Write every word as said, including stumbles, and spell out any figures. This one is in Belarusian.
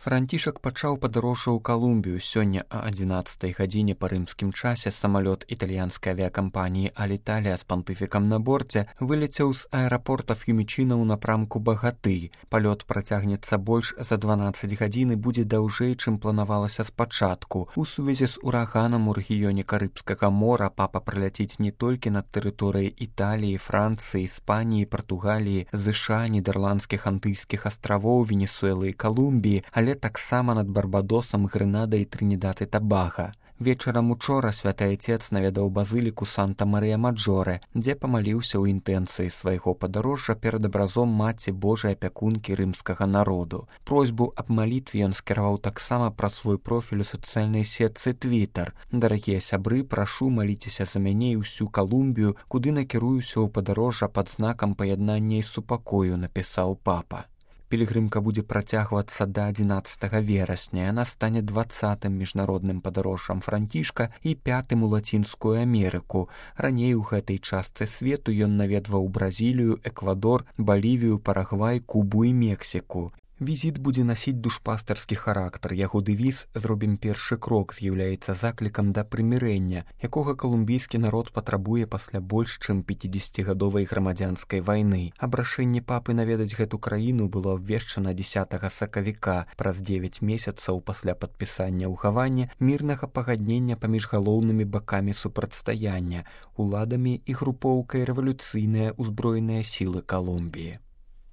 Францішак пачаў падарожжа ў Калумбію. Сёння а адзінаццатай гадзіне па рымскім часе самалёт італьянскай авіякампаніі «Аліталія» з пантыфікам на борце вылецеў з аэрапорта Ф'юмічына ў напрамку Багаты. Палёт працягнецца больш за дванаццаць гадзін і будзе даўжэй, чым планавалася спачатку. У сувязі з ураганам у рэгіёне Карыбскага мора папа праляціць не толькі над тэрыторыяй Італіі, Францыі, Іспаніі, Партугаліі, ЗША, Нідерландскіх антыльскіх астравоў, Венесуэлы і Калумбіі, але таксама над Барбадосам, Грэнадай і Трынідад і Табага. Вечарам учора святы айцец наведаў базыліку Санта-Марыя-Маджоре, дзе памаліўся ў інтэнцыі свайго падарожжа перад абразом Маці Божай апякункі рымскага народу. Просьбу аб малітве ён скіраваў таксама праз свой профіль у сацыяльнай сетцы Твітар. «Дарагія сябры, прашу, маліцеся за мяне і ўсю Калумбію, куды накіруюся ў падарожжа пад знакам паяднання і супакою», напісаў папа. Пілігрымка будзе працягвацца да адзінаццатага верасня. Яна стане дваццатым міжнародным падарожжам Францішка і пятым у Лацінскую Амерыку. Раней у гэтай частцы свету ён наведваў Бразілію, Эквадор, Балівію, Парагвай, Кубу і Мексіку. Візіт будзе насіць душпастарскі характар. Яго дэвіз «Зробім першы крок» з'яўляецца заклікам да прымірэння, якога калумбійскі народ патрабуе пасля больш чым пяцідзесяцігадовай грамадзянскай вайны. Абрашэнне папы наведаць гэту краіну было абвешчана дзесятага сакавіка, праз дзевяць месяцаў пасля падпісання ў Гаване мірнага пагаднення паміж галоўнымі бакамі супрацьстаяння, уладамі і групоўкай рэвалюцыйныя ўзброеныя сілы Калумбіі.